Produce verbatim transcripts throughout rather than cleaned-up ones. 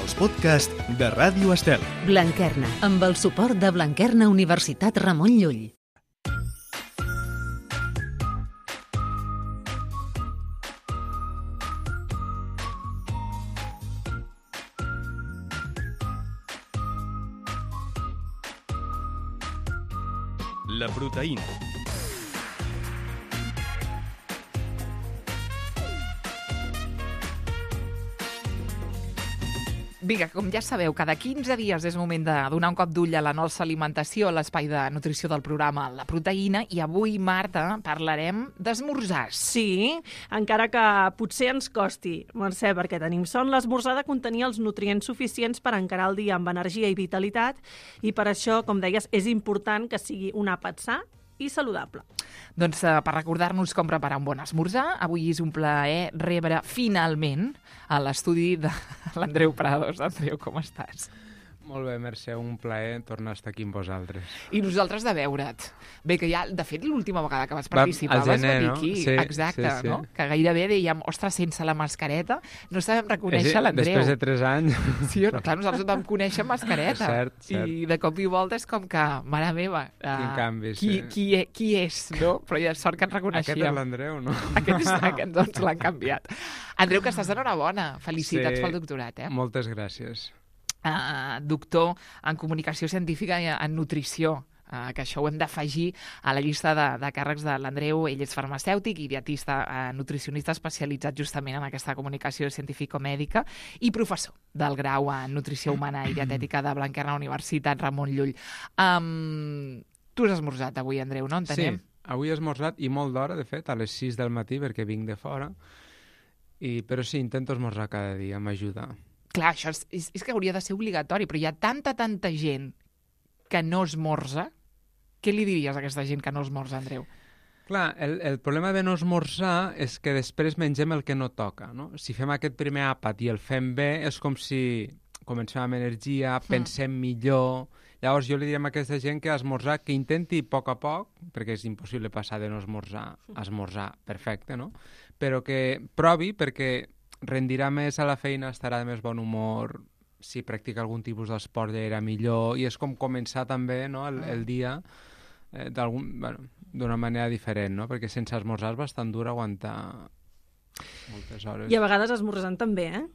els podcasts de Ràdio Estel. Blanquerna, amb el suport de Blanquerna Universitat Ramon Llull. La proteïna. Vinga, com ja sabeu, cada quinze dies és moment de donar un cop d'ull a la nostra alimentació, a l'espai de nutrició del programa La Proteïna, i avui, Marta, parlarem d'esmorzars. Sí, encara que potser ens costi, Mercè, perquè tenim son, l'esmorzar ha de contenir els nutrients suficients per encarar el dia amb energia i vitalitat, i per això, com deies, és important que sigui un àpat sa i saludable. Doncs eh, per recordar-nos com preparar un bon esmorzar, avui és un plaer rebre finalment a l'estudi de l'Andreu Prados. Andreu, com estàs? Molt bé, Mercè, un plaer tornar a estar aquí amb vosaltres. I nosaltres de veure't. Bé, que ja, de fet, l'última vegada que vas participar Va, al gener, vas venir no? aquí. Sí, exacte, sí, sí. no? Que gairebé dèiem, ostres, sense la mascareta no sabem reconèixer Sí, l'Andreu. després de tres anys. Sí o no? Clar, nosaltres et vam conèixer amb mascareta. Cert, cert. I de cop i volta és com que, mare meva, uh, Quin canvi, qui, sí. qui, e- qui és, no? Però ja sort que ens reconeixíem. Aquest és l'Andreu, no? Aquest, és, aquest doncs l'han canviat. Andreu, que estàs d'enhorabona. Felicitats Sí, pel doctorat, eh? Moltes gràcies. Uh, doctor en comunicació científica i en nutrició, uh, que això ho hem d'afegir a la llista de, de càrrecs de l'Andreu. Ell és farmacèutic i dietista, uh, nutricionista especialitzat justament en aquesta comunicació científico-mèdica i professor del grau en nutrició humana i dietètica de Blanquerna Universitat Ramon Llull. Um, tu has esmorzat avui, Andreu, no? Entenem? Sí, avui he esmorzat i molt d'hora, de fet, a les sis del matí, perquè vinc de fora. I, però sí, intento esmorzar cada dia, m'ajuda. Clar, això és, és, és que hauria de ser obligatori, però hi ha tanta, tanta gent que no esmorza. Què li diries a aquesta gent que no esmorza, Andreu? Clar, el, el problema de no esmorzar és que després mengem el que no toca, no? Si fem aquest primer àpat i el fem bé, és com si comencem amb energia, pensem mm. millor. Llavors jo li diria a aquesta gent que esmorzar, que intenti a poc a poc, perquè és impossible passar de no esmorzar a esmorzar perfecte, no? Però que provi, perquè rendirà més a la feina, estarà de més bon humor, si practica algun tipus d'esport ja era millor, i és com començar també, no, el, el dia eh, d'algun, bueno, d'una manera diferent, no? Perquè sense esmorzar és bastant dur aguantar moltes hores. I a vegades esmorzant també, eh,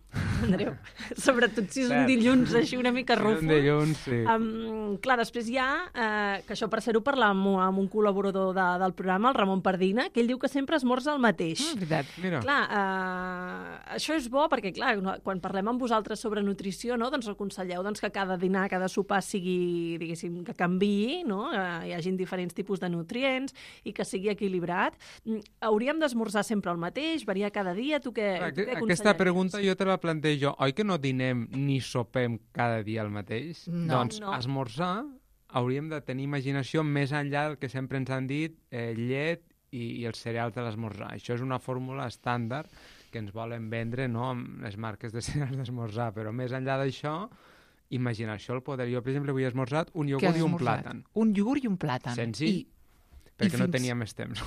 Andreu? Sobretot si és un Cert. dilluns així una mica rufo. Un dilluns, sí. Um, clar, després hi ha, eh, que això per ser-ho parlar amb, amb un col·laborador de, del programa, el Ramon Pardina, que ell diu que sempre esmorza el mateix. Mm, veritat. Mira. Clar, eh, això és bo perquè, clar, quan parlem amb vosaltres sobre nutrició, no, doncs aconselleu doncs, que cada dinar, cada sopar sigui, diguéssim, que canviï, no? Eh, hi hagin diferents tipus de nutrients i que sigui equilibrat. Mm, hauríem d'esmorzar sempre el mateix, variar cada dia? Tu què, Clar, tu què aquesta aconsellaries? pregunta jo te la plantejo. Oi que no dinem ni sopem cada dia el mateix? No. Doncs No. esmorzar hauríem de tenir imaginació més enllà del que sempre ens han dit eh, llet i, i els cereals de l'esmorzar. Això és una fórmula estàndard que ens volen vendre, no?, amb les marques de cereals d'esmorzar, però més enllà d'això, imaginació el poder. Jo, per exemple, avui he esmorzat un Què iogurt has i un esmorzat? plàtan. Un iogurt i un plàtan. Senzill, I, perquè i no fins- tenia més temps.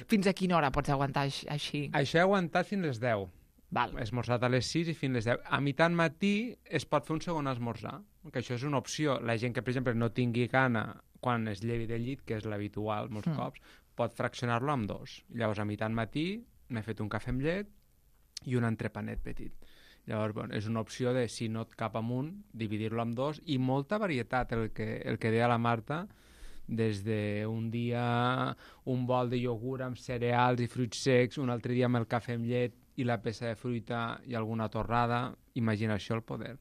fins a quina hora pots aguantar aix- així? Això he aguantat fins les deu. Val. He esmorzat a les sis i fins les deu. A mitjan matí es pot fer un segon esmorzar, que això és una opció. La gent que, per exemple, no tingui gana quan es llevi del llit, que és l'habitual molts Mm. cops, pot fraccionar-lo en dos. Llavors, a mitjan matí m'he fet un cafè amb llet i un entrepanet petit. Llavors, bueno, és una opció de, si no et cap amunt, dividir-lo en dos, i molta varietat, el que, el que deia la Marta, des d'un dia un bol de iogurt amb cereals i fruits secs, un altre dia amb el cafè amb llet i la peça de fruita i alguna torrada. Imaginació al poder.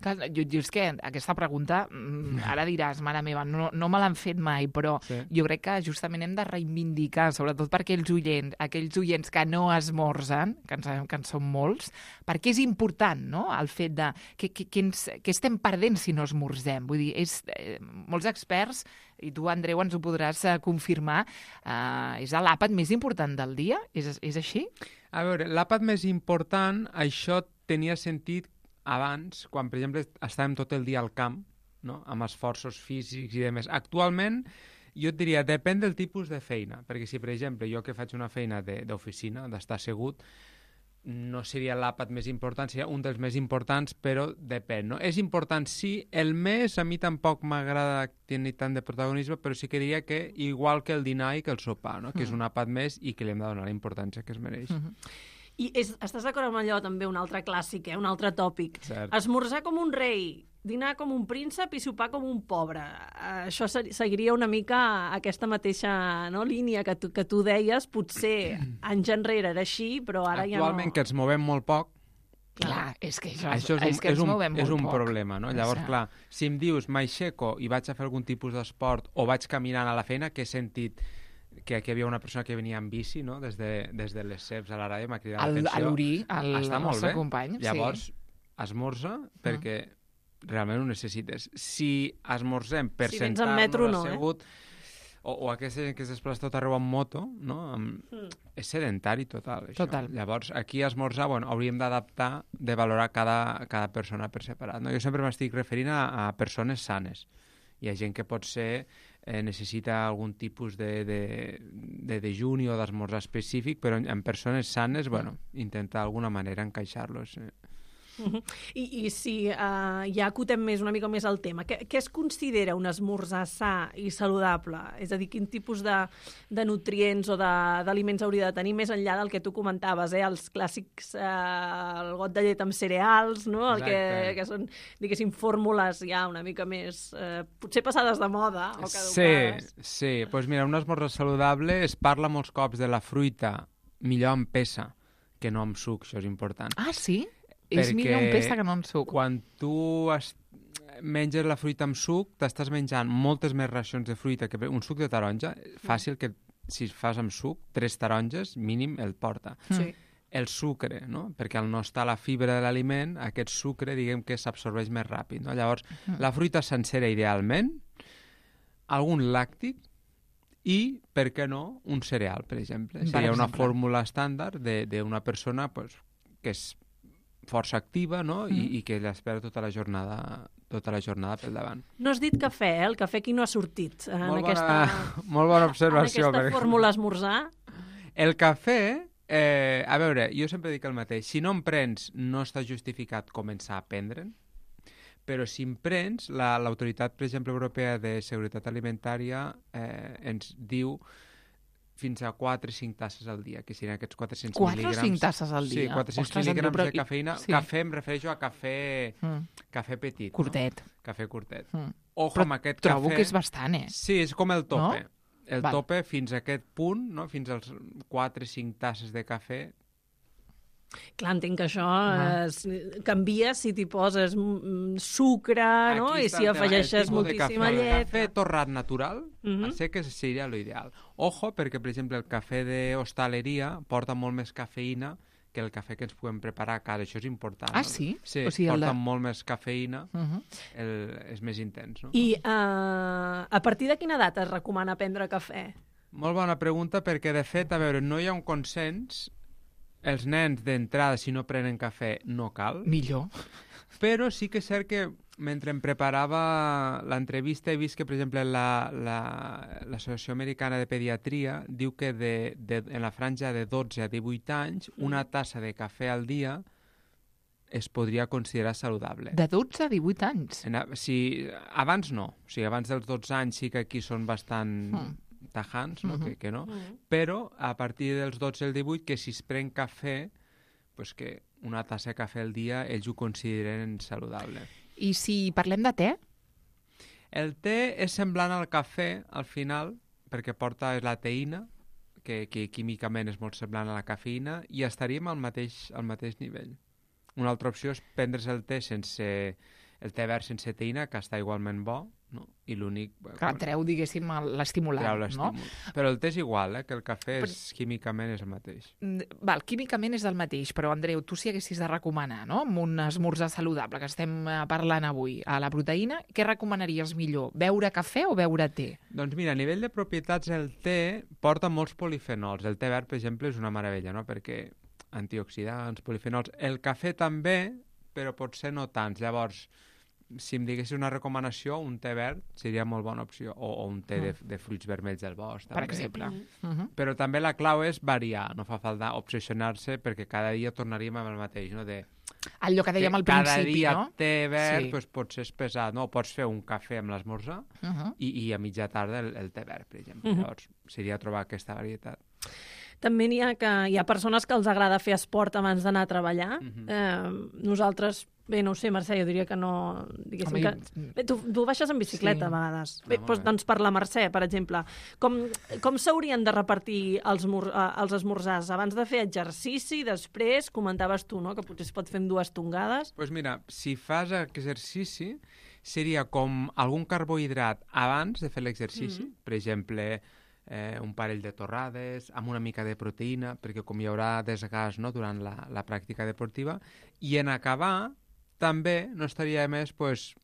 Clar, jo, jo és que aquesta pregunta, mm, ara diràs, mare meva, no, no me l'han fet mai, però Sí. jo crec que justament hem de reivindicar, sobretot per aquells oients, aquells oients que no esmorzen, que en sabem que en són molts, perquè és important, no?, el fet de que, que, que, ens, que estem perdent si no esmorzem. Vull dir, és, eh, molts experts, i tu, Andreu, ens ho podràs eh, confirmar, eh, és l'àpat més important del dia? És, és així? A veure, l'àpat més important, això tenia sentit abans, quan, per exemple, estàvem tot el dia al camp, no?, amb esforços físics i demés. Actualment, jo et diria, depèn del tipus de feina, perquè si, per exemple, jo que faig una feina d'oficina, d'estar assegut, no seria l'àpat més important, seria un dels més importants, però depèn, no? És important, sí, el més a mi tampoc m'agrada tenir tant de protagonisme, però sí que diria que igual que el dinar i que el sopar, no? Que és un àpat més i que li hem de donar la importància que es mereix. Mm-hmm. I és, estàs d'acord amb allò també, un altre clàssic, eh? Un altre tòpic. Cert. Esmorzar com un rei, dinar com un príncep i sopar com un pobre. Això seguiria una mica aquesta mateixa, no, línia que tu, que tu deies. Potser anys enrere era així, però ara ja no... Actualment, que ens movem molt poc, Clar, és que això, això és un, és que és ens un, movem és molt un poc. problema, no? Llavors, O sigui, clar, si em dius m'aixeco i vaig a fer algun tipus d'esport o vaig caminant a la feina, que he sentit que aquí hi havia una persona que venia en bici, no? Des de, des de les C E Ps a la ràdio, m'ha cridat El- l'atenció. a l'Uri, el Està molt nostre bé. company, sí. Llavors, esmorza perquè realment ho necessites. Si esmorzem per Si vens en sentar-nos metro, no, eh? assegut, o, o aquesta gent que es desplaça tot arreu amb moto, no? Amb... Mm. És sedentari total, això. Total. Llavors, aquí a esmorzar, bueno, hauríem d'adaptar, de valorar cada, cada persona per separat. No? Jo sempre m'estic referint a, a persones sanes. Hi ha gent que potser eh, necessita algun tipus de, de, de dejuni o d'esmorzar específic, però en, en persones sanes, bueno, intentar d'alguna manera encaixar-los. Eh. Uh-huh. I, I si uh, ja acotem més una mica més el tema, què, què es considera un esmorzar sa i saludable? És a dir, quin tipus de, de nutrients o d'aliments hauria de tenir més enllà del que tu comentaves, eh? Els clàssics, eh, el got de llet amb cereals, no? El que, Exacte. que són, diguéssim, fórmules ja una mica més, eh, potser passades de moda o caducades. Sí, sí. Pues mira, un esmorzar saludable es parla molts cops de la fruita millor amb peça que no amb suc, això és important. Ah, sí? És Perquè millor un pesta que no en suc. Quan tu es... menges la fruita amb suc, t'estàs menjant moltes més racions de fruita que un suc de taronja. Fàcil que, si fas amb suc, tres taronges, mínim, el porta. Sí. El sucre, no? Perquè al no estar la fibra de l'aliment, aquest sucre, diguem que s'absorbeix més ràpid, no? Llavors, la fruita sencera, idealment, algun làctic i, per què no, un cereal, per exemple. Per Seria una exemple. fórmula estàndard d'una persona pues, que és força activa, no? I, i que l'espera tota la jornada tota la jornada pel davant. No has dit cafè, eh? El cafè aquí no ha sortit en Molt aquesta, bona, molt bona observació. en aquesta perquè- fórmula esmorzar. El cafè, eh, a veure, jo sempre dic el mateix. Si no en prens, no està justificat començar a prendre'n, però si en prens, la- l'autoritat, per exemple, europea de seguretat alimentària eh, ens diu fins a quatre o cinc tasses al dia, que serien aquests quatre-cents quatre o mil·lígrams. cinc tasses al dia? Sí, quatre-cents Ostres, Andreu, mil·lígrams però- de cafeïna. sí. Cafè, em refereixo a cafè, Mm. cafè petit. Curtet. No? Cafè curtet. Mm. Ojo Però amb aquest trobo cafè. que és bastant, eh? Sí, és com el tope. No? El Val. tope fins a aquest punt, no? Fins als quatre o cinc tasses de cafè. Clar, entenc que això Ah. es, canvia si t'hi poses mm, sucre, no? Aquí I està si el tema, afegeixes el tipus de moltíssima cafè. llet. El cafè torrat natural, Mhm. a seques seria l'ideal. Ojo, perquè, per exemple, el cafè d'hostaleria porta molt més cafeïna que el cafè que ens podem preparar a casa. Això és important. Ah, no? sí? Sí, O sigui, el porta de- molt més cafeïna, Uh -huh. el, és més intens. No? I uh, a partir de quina edat es recomana prendre cafè? Molt bona pregunta, perquè, de fet, a veure, no hi ha un consens. Els nens, d'entrada, si no prenen cafè, no cal. Millor. Però sí que és cert que mentre em preparava l'entrevista he vist que, per exemple, la- la- l'Associació Americana de Pediatria diu que de, de, en la franja de dotze a divuit anys una tassa de cafè al dia es podria considerar saludable. De dotze a divuit anys. En, a- si, abans no. O sigui, abans dels dotze anys sí que aquí són bastant Mm. tajants, no? Mhm. que, que no. Mm. Però a partir dels dotze al divuit, que si es pren cafè, pues que una tassa de cafè al dia ells ho consideren saludable. I si parlem de te? El te és semblant al cafè, al final, perquè porta la teïna, que, que químicament és molt semblant a la cafeïna, i estaríem al mateix, al mateix nivell. Una altra opció és prendre's el te sense el te verd sense teïna, que està igualment bo, no? I l'únic... Que treu, diguéssim, el- l'estimulant, treu no? l'estímul. Però el te és igual, eh? Que el cafè Però- és, químicament és el mateix. Mm, Val, químicament és el mateix, però Andreu, tu si haguessis de recomanar, no?, amb un esmorzar saludable que estem eh, parlant avui, a la proteïna, què recomanaries millor? Beure cafè o beure te? Doncs mira, a nivell de propietats el te porta molts polifenols. El te verd, per exemple, és una meravella, no? Perquè antioxidants, polifenols... El cafè també, però potser no tants. Llavors, si em diguessis una recomanació, un té verd seria molt bona opció, o, o un té mm. de, de fruits vermells del bosc. Per també. exemple. Mm -hmm. Però també la clau és variar, no fa falta obsessionar-se perquè cada dia tornaríem amb el mateix, no? De, allò que dèiem al principi, cada dia no? té verd, Sí. doncs potser és pesat, no? Pots fer un cafè amb l'esmorzar Uh -huh. i, i a mitja tarda el, el té verd, per exemple. Mhm. Llavors, seria trobar aquesta varietat. També n'hi ha que hi ha persones que els agrada fer esport abans d'anar a treballar. Mhm. eh, nosaltres, bé, no ho sé, Mercè, jo diria que no... Diguéssim Home, que... Bé, tu, tu baixes en bicicleta Sí. a vegades. Ah, Bé, molt doncs, bé. doncs per la Mercè, per exemple, com, com s'haurien de repartir els, mur, eh, els esmorzars? Abans de fer exercici, després, comentaves tu, no?, que potser es pot fer amb dues tongades. Doncs pues mira, si fas exercici, seria com algun carbohidrat abans de fer l'exercici, Mhm. per exemple, eh, un parell de torrades, amb una mica de proteïna, perquè com hi haurà desgast, no?, durant la, la pràctica deportiva, i en acabar també no estaria de més pues,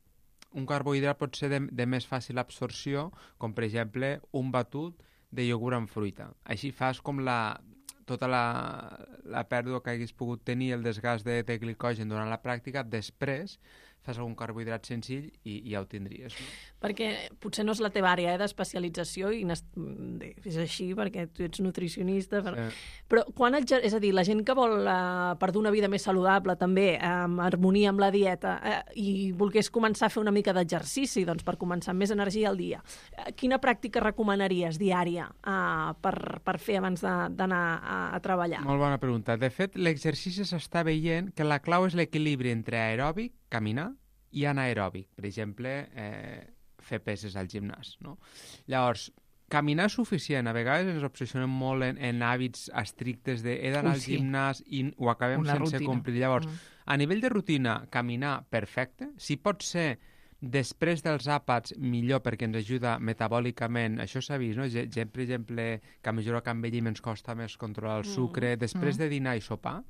un carbohidrat pot ser de, de més fàcil absorció, com per exemple un batut de iogurt amb fruita. Així fas com la, tota la, la pèrdua que hagués pogut tenir, el desgast de, de glicogen durant la pràctica, després fas algun carbohidrat senzill i, i ja ho tindries. No? Perquè potser no és la teva àrea eh, d'especialització, i és així perquè tu ets nutricionista, però, Eh, però quan exer... és a dir, la gent que vol eh, per dur una vida més saludable també, amb harmonia amb la dieta, eh, i volgués començar a fer una mica d'exercici, doncs per començar amb més energia al dia, eh, quina pràctica recomanaries diària eh, per, per fer abans d'anar a, a treballar? Molt bona pregunta. De fet, l'exercici s'està veient que la clau és l'equilibri entre aeròbic, caminar, i anaeròbic. Per exemple, eh, fer peses al gimnàs. No? Llavors, caminar és suficient. A vegades ens obsessionem molt en, en hàbits estrictes de he d'anar Ui, al sí. gimnàs i ho acabem Una sense rutina. complir. Llavors, Mm. a nivell de rutina, caminar, perfecte. Si pot ser després dels àpats, millor, perquè ens ajuda metabòlicament. Això s'ha vist, no? Gent, per exemple, que a mesura que envellim ens costa més controlar el sucre. Després Mm. de dinar i sopar,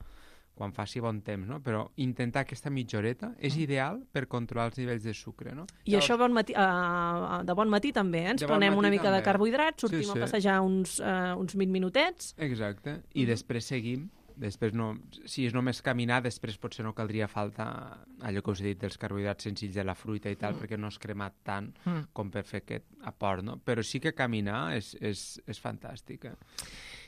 quan faci bon temps, no? Però intentar aquesta mitja horeta és Mm. ideal per controlar els nivells de sucre, no? I això bon matí, uh, de bon matí també, eh? Ens De bon prenem una matí mica de també. carbohidrats, sortim Sí, sí. a passejar uns, uh, uns vint minutets. Exacte. I Mhm. després seguim. Després no, si és només caminar, després potser no caldria falta allò que us he dit dels carbohidrats senzills de la fruita i tal, Mm. perquè no es crema tant Mm. com per fer aquest aport, no? Però sí que caminar és, és, és fantàstic. Eh?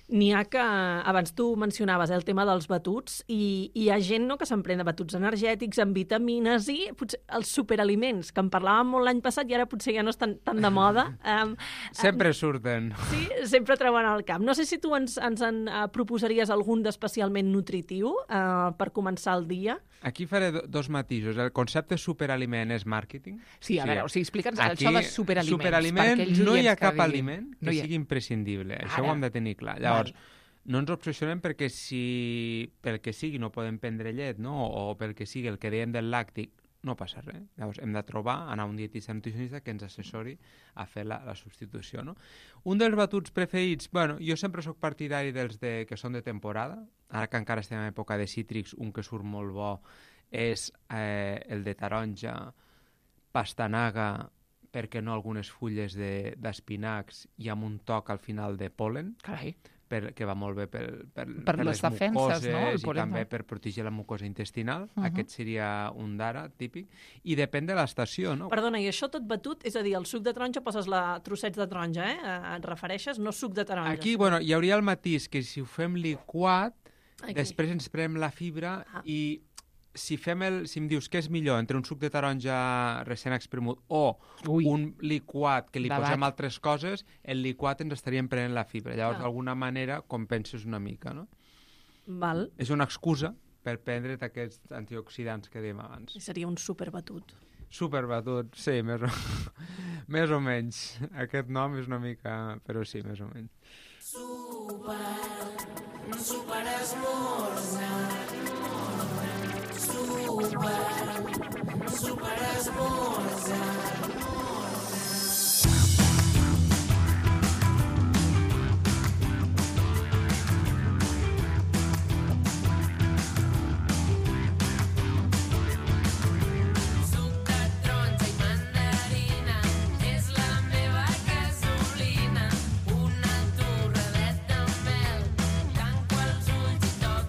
N'hi ha que, abans tu mencionaves eh, el tema dels batuts, i, i hi ha gent no, que s'emprèn de batuts energètics amb vitamines i potser els superaliments, que en parlàvem molt l'any passat i ara potser ja no estan tan de moda. Um, Sempre surten. Sí, sempre treuen al camp. No sé si tu ens, ens en uh, proposaries algun d'especialment nutritiu uh, per començar el dia. Aquí faré do, dos matisos. El concepte superaliment és màrqueting. Sí, a Sí. veure, o sigui, explica'ns Aquí, això de superaliments. superaliment, per aquells no hi ha oients que cap diguin- aliment que no hi ha- sigui imprescindible. Això Ara. ho hem de tenir clar. Llavors, no ens obsessionem perquè si pel que sigui no podem prendre llet, no? O pel que sigui el que dèiem del làctic, no passa res. Llavors hem de trobar, anar a un dietista nutricionista que ens assessori a fer la, la substitució, no? Un dels batuts preferits, bueno, jo sempre sóc partidari dels de, que són de temporada. Ara que encara estem en època de cítrics, un que surt molt bo és eh, el de taronja, pastanaga, per què no algunes fulles de- d'espinacs i amb un toc al final de pol·len, Carai. per, que va molt bé per, per, Per les defenses, mucoses, no? El i pol·len, també no? per protegir la mucosa intestinal. Uh-huh. Aquest seria un d'ara, típic. I depèn de l'estació, no? Perdona, i això tot batut, és a dir, el suc de taronja poses la trossets de taronja, eh? Eh, Et refereixes? No suc de taronja. Aquí, bueno, hi hauria el matís que si ho fem liquat, Aquí. després ens prenem la fibra Ah. i si fem el, si em dius què és millor entre un suc de taronja recent expremut o Ui. un liquat que li Debat. posem altres coses, el liquat ens estaríem prenent la fibra. Llavors, Ah. d'alguna manera, compenses una mica, no? Val. És una excusa per prendre't aquests antioxidants que dèiem abans. Seria un superbatut. Superbatut, sí, més o, més o menys. Aquest nom és una mica... però sí, més o menys.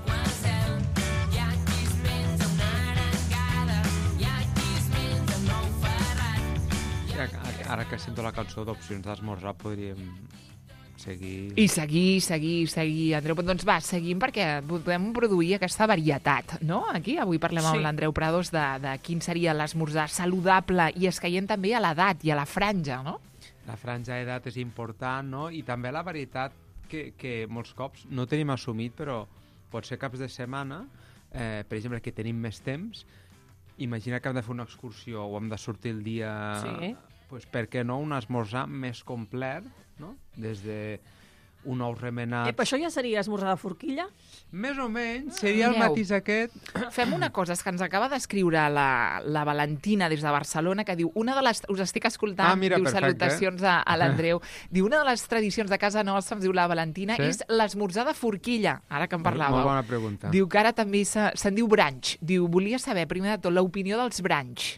Hi ha qui es menja una arengada, hi ha qui es menja una ara que sento la cançó d'opcions d'esmorzar, podríem seguir... I seguir, seguir, seguir, Andreu. Doncs va, seguim perquè podem produir aquesta varietat, no? Aquí avui parlem Sí. amb l'Andreu Prados de, de quin seria l'esmorzar saludable i escaient també a l'edat i a la franja, no? La franja d'edat és important, no? I també la varietat que, que molts cops no tenim assumit, però pot ser caps de setmana, eh, per exemple, que tenim més temps, imagina que hem de fer una excursió o hem de sortir el dia... Sí. Pues, per què no un esmorzar més complet, no? Des de un ou remenat... Ep, això ja seria esmorzar de forquilla? Més o menys, seria el Mireu. matís aquest... Fem una cosa, és que ens acaba d'escriure la, la Valentina des de Barcelona, que diu, una de les... Us estic escoltant, Ah, mira, diu perfecte. salutacions a, a l'Andreu. Diu, una de les tradicions de casa nostra, ens diu la Valentina, Sí? és l'esmorzar de forquilla, ara que en Molt parlàveu. bona pregunta. Diu que ara també se- se'n diu branch. Diu, volia saber, primer de tot, l'opinió dels branch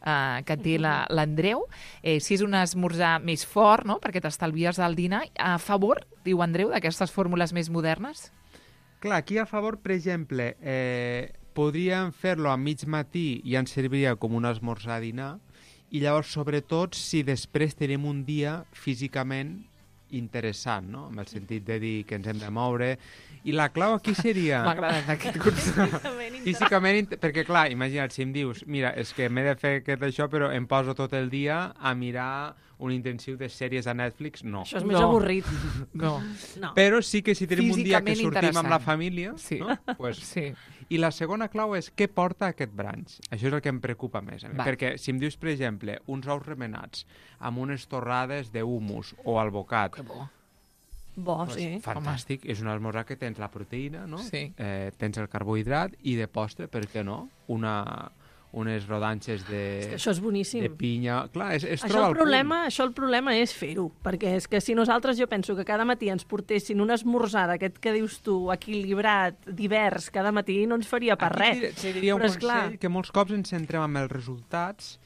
uh, que té la- l'Andreu, eh, si és un esmorzar més fort, no?, perquè t'estalvies del dinar, a favor, diu Andreu, d'aquestes fórmules més modernes? Clar, aquí a favor, per exemple, eh, podríem fer-lo a mig matí i ens serviria com un esmorzar a dinar, i llavors, sobretot, si després tenim un dia físicament interessant, no? En el sentit de dir que ens hem de moure. I la clau aquí seria... M'ha agradat aquest concepte. Físicament, int- perquè clar, imagina't, si em dius, mira, és que m'he de fer aquest això, però em poso tot el dia a mirar un intensiu de sèries a Netflix, no. Això és més No. avorrit. No. No. Però sí que si tenim un dia que Físicament sortim amb la interessant. família, Sí. no? Pues, Sí. I la segona clau és què porta aquest brunch. Això és el que em preocupa més. A mi. Va. Perquè si em dius, per exemple, uns ous remenats amb unes torrades d'humus o albocat, Que bo. Bo, pues, sí. fantàstic. És un esmorzar que tens la proteïna, no? Sí. Eh, tens el carbohidrat i de postre, per què no? Una, unes rodanxes de, És que això és boníssim. de pinya. Clar, és, és Això trobar el, el problema, punt. això el problema és fer-ho, perquè és que si nosaltres, jo penso que cada matí ens portessin un esmorzar d'aquest que dius tu, equilibrat, divers, cada matí no ens faria per Aquí res. dir- te diria un Però és consell clar. que molts cops ens centrem en els resultats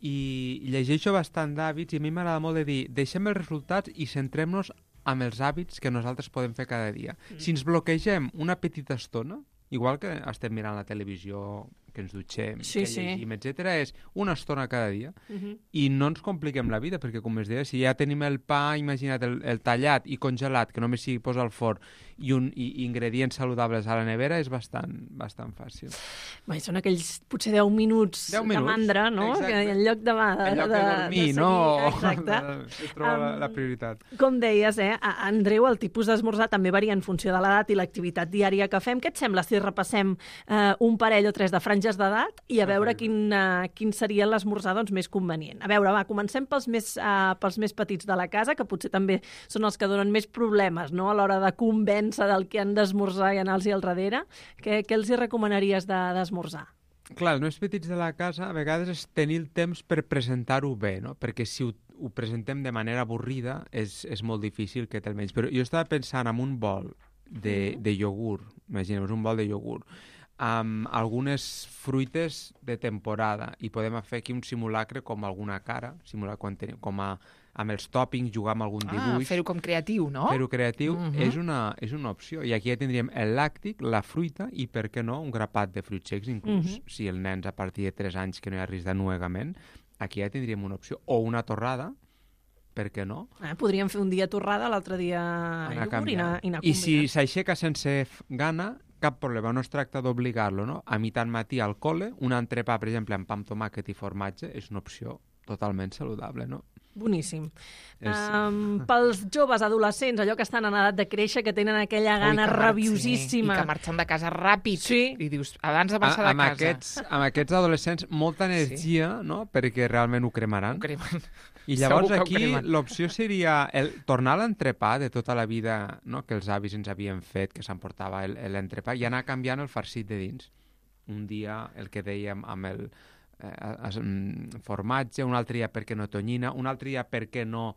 i llegeixo bastant d'hàbits i a mi m'agrada molt de dir deixem els resultats i centrem-nos amb els hàbits que nosaltres podem fer cada dia. Mm. Si ens bloquegem una petita estona, igual que estem mirant la televisió, que ens dutxem, Sí, que sí. llegim, etcètera, és una estona cada dia. Uh -huh. I no ens compliquem la vida, perquè, com es deia, si ja tenim el pa, imagina't, el, el tallat i congelat, que només sigui posar al forn, i, un, i ingredients saludables a la nevera, és bastant, bastant fàcil. Bé, són aquells, potser deu minuts, deu de minuts, mandra, no? exacte. Que en lloc de, de, En lloc de, de dormir, de no? seguir, exacte. Es troba la, la Am, prioritat. Com deies, eh, a- Andreu, el tipus d'esmorzar també varia en funció de l'edat i l'activitat diària que fem. Què et sembla si repassem eh, un parell o tres de franges d'edat i a veure Perfecte. quin, uh, quin seria l'esmorzar doncs, més convenient? A veure, va, comencem pels més, uh, pels més petits de la casa, que potser també són els que donen més problemes, no?, a l'hora de convèncer del que han d'esmorzar i anar-los al darrere. Què, què els hi recomanaries de- d'esmorzar? Clar, els més petits de la casa a vegades és tenir el temps per presentar-ho bé, no? Perquè si ho, ho presentem de manera avorrida és, és molt difícil que te'l menys. Però jo estava pensant en un bol de, de iogurt, imaginem, un bol de iogurt, amb algunes fruites de temporada i podem fer aquí un simulacre com alguna cara, simular quan tenim, com a, amb els tòpings, jugar amb algun Ah, dibuix. fer-ho com creatiu, no? Fer-ho creatiu Mhm. és, una, és una opció. I aquí ja tindríem el làctic, la fruita i, per què no, un grapat de fruits secs, inclús Mhm. si el nen a partir de tres anys que no hi ha risc d'anuegament, aquí ja tindríem una opció. O una torrada, per què no? Eh, podríem fer un dia torrada, l'altre dia Anar iogurt i canviant. anar, i anar I si combinant. s'aixeca sense f- gana, cap problema, no es tracta d'obligar-lo, no? A mitjan matí al col·le, un entrepà, per exemple, amb pa amb tomàquet i formatge, és una opció totalment saludable, no? Boníssim. És... Um, pels joves adolescents, allò que estan en edat de créixer, que tenen aquella gana Ui, que mar- rabiosíssima. Sí, I que marxen de casa ràpid. Sí. I dius, abans de A, marxar de amb, casa. aquests, amb aquests adolescents, molta energia, no?, perquè realment ho cremaran. Ho cremen. I llavors Segur que ho aquí cremen. l'opció seria el, tornar a l'entrepà de tota la vida, no?, que els avis ens havien fet, que s'emportava el- l'entrepà, i anar canviant el farcit de dins. Un dia el que dèiem amb el eh, es, mm, formatge, un altre dia per què no tonyina, un altre dia per què no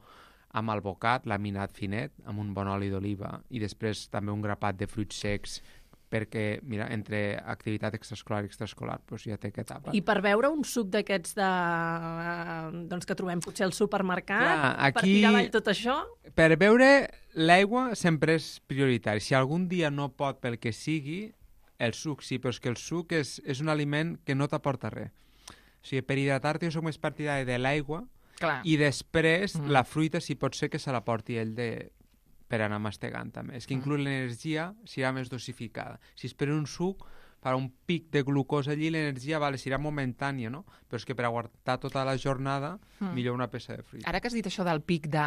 amb albocat, laminat finet, amb un bon oli d'oliva, i després també un grapat de fruits secs, perquè, mira, entre activitat extraescolar i extraescolar, doncs ja té que etapa. I per beure un suc d'aquests de... eh, doncs que trobem potser al supermercat, Clar, per aquí- tirar avall tot això, Per beure, l'aigua sempre és prioritari. Si algun dia no pot pel que sigui, el suc sí, però és que el suc és, és un aliment que no t'aporta res. O sigui, per hidratar-te jo soc més partidari de l'aigua, Clar. I després Mm. la fruita si pot ser que se la porti ell de per anar mastegant també. És que inclús l'energia serà més dosificada. Si es per un suc, farà un pic de glucosa allí, l'energia vale, serà momentània, no? Però és que per aguantar tota la jornada, Mm. millor una peça de fruita. Ara que has dit això del pic de,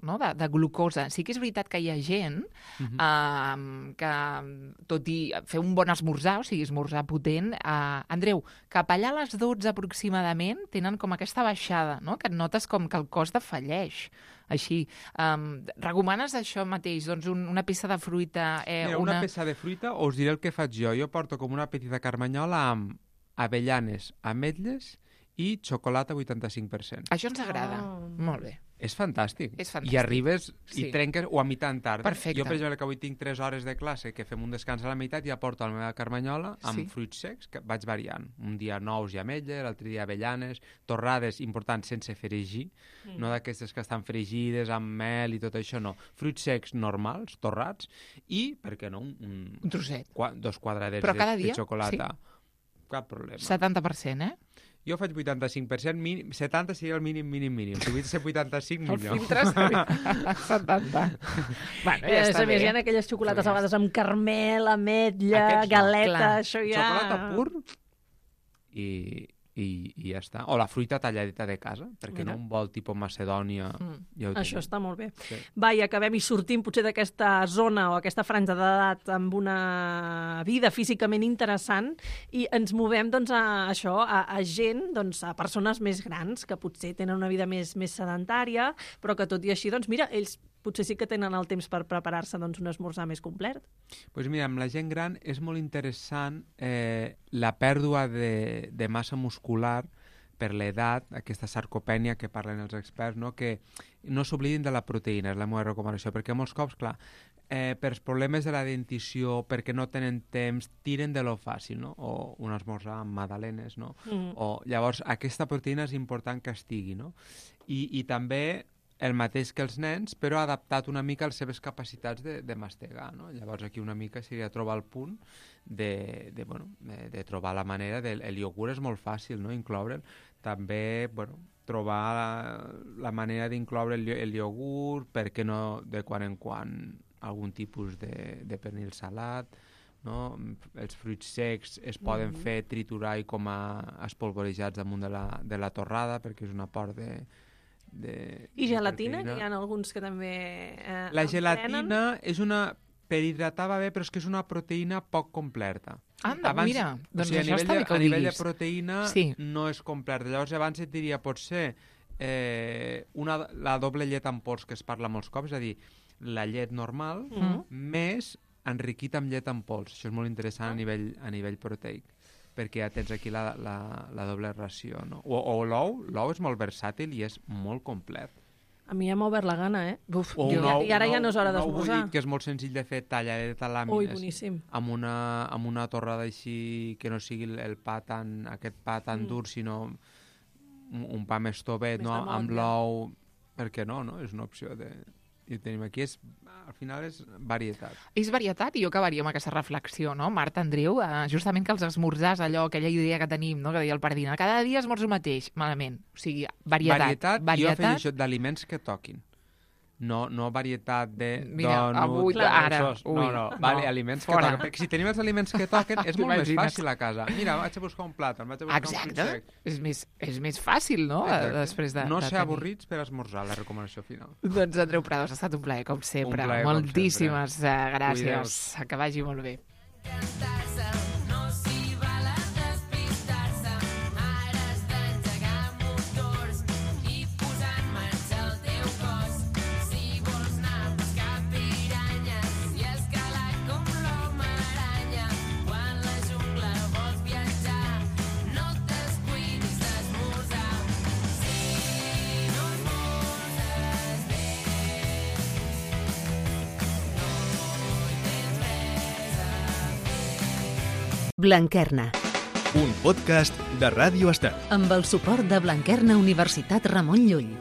no, de, de glucosa, sí que és veritat que hi ha gent Uh -huh. eh, que, tot i fer un bon esmorzar, o sigui, esmorzar potent, eh, Andreu, cap allà a les dotze aproximadament tenen com aquesta baixada, no? Que et notes com que el cos defalleix. Així, um, recomanes això mateix, doncs un, una peça de fruita... Eh, Mira, una... una peça de fruita, us diré el que faig jo. Jo porto com una petita carmanyola amb avellanes, ametlles i xocolata vuitanta-cinc per cent. Això ens agrada. Oh. Molt bé. És fantàstic. És fantàstic. I arribes Sí. i trenques o a mitjan tarda. Perfecte. Jo, per exemple, que avui tinc tres hores de classe, que fem un descans a la meitat, ja porto la meva carmanyola amb Sí. fruits secs, que vaig variant. Un dia nous i ametlles, l'altre dia avellanes, torrades, important, sense fregir, mm. no d'aquestes que estan fregides amb mel i tot això, no. Fruits secs normals, torrats, i, per què no, un, un, Un trosset. qua, dos quadradets Però de, cada de dia? xocolata. Sí. Cap problema. setanta per cent, eh? Jo faig vuitanta-cinc per cent, mínim, setanta seria el mínim, mínim, mínim. Si vull ser vuitanta-cinc, El millor. filtre setanta. Bueno, ja Eh, està a més, bé. hi ha aquelles xocolates a vegades amb carmel, ametlla, Aquests no. galeta, Clar. això ja... Xocolata pur i, i, i ja està. O la fruita talladeta de casa, perquè Mira. no un bol tipus Macedònia. Mm. Ja ho Això tenim. està molt bé. Sí. Va, i acabem i sortim potser d'aquesta zona o aquesta franja d'edat amb una vida físicament interessant i ens movem doncs, a això, a, a gent, doncs, a persones més grans que potser tenen una vida més, més sedentària, però que tot i així, doncs, mira, ells potser sí que tenen el temps per preparar-se doncs, un esmorzar més complet. Pues mira, amb la gent gran és molt interessant eh, la pèrdua de, de massa muscular per l'edat, aquesta sarcopènia que parlen els experts, no? Que no s'oblidin de la proteïna, és la meva recomanació, perquè molts cops, clar, eh, per problemes de la dentició, perquè no tenen temps, tiren de lo fàcil, no? O un esmorzar amb magdalenes, no? Mm. O, llavors, aquesta proteïna és important que estigui, no? I, i també el mateix que els nens, però adaptat una mica a les seves capacitats de, de mastegar, no? Llavors aquí una mica seria trobar el punt de, de, bueno, de, de trobar la manera del el iogurt és molt fàcil, no?, incloure'l. També, bueno, trobar la, la manera d'incloure el, el iogurt, per què no de quan en quan algun tipus de, de pernil salat, no? Els fruits secs es poden Mhm. fer triturar i com a espolvorejats damunt de la, de la torrada, perquè és un aport de De, I de gelatina, proteïna. que hi ha alguns que també eh, La en gelatina prenen. és una... Per hidratar va bé, però és que és una proteïna poc completa. Anda, mira, doncs o sigui, a això nivell està de, bé que a ho nivell de diguis. proteïna Sí. no és completa. Llavors abans et diria, potser eh, una, la doble llet en pols que es parla molts cops, és a dir, la llet normal Mhm. més enriquit amb llet en pols. Això és molt interessant a nivell, a nivell proteic, perquè ja tens aquí la, la, la doble ració. No? O, o l'ou, l'ou és molt versàtil i és molt complet. A mi ja m'ha obert la gana, eh? Buf, O jo, un ou, I ara ja un no és hora ou- un ou d'esmorzar. bullit, que és molt senzill de fer, talladeta a Ui, làmines, boníssim. amb una, amb una torrada així, que no sigui el, el pa tan, aquest pa tan Mm. dur, sinó un, un pa més tovet, Més no? de Amb motlle. l'ou, per què no, no? És una opció de... I ho tenim aquí, és, al final és varietat. És varietat i jo acabaria amb aquesta reflexió, no? Marta, Andreu, eh, justament que els esmorzars, allò, aquella idea que tenim, no?, que deia el Pardina, cada dia esmorzo el mateix, malament. O sigui, varietat. Varietat, varietat. jo afegeixo d'aliments que toquin. No, no varietat de Mira, donut, avui, de ara, sos. ui, no, no, vale, no, aliments fora. que toquen. Perquè si tenim els aliments que toquen, és molt més T'imagines? fàcil a casa. Mira, vaig a buscar un plàtan, vaig a buscar un fruit Exacte. sec. És més, és més fàcil, no?, Exacte. després de, no de ser tenir. avorrits per esmorzar, la recomanació final. Doncs, Andreu Prados, ha estat un plaer, com sempre. Un plaer, com Moltíssimes eh, gràcies. Cuideu-vos. Que vagi molt bé. No s'hi val a despistar-se, ara has d'engegar motors i posar en marxa el teu cos. Si vols anar a pescar piranyes i escalar com l'home aranya, quan la jungla vols viatjar, no t'escuidis d'esmorzar. Si no esmorzes bé, no hi tens res a Blanquerna, Un podcast de Ràdio Estel. amb el suport de Blanquerna Universitat Ramon Llull.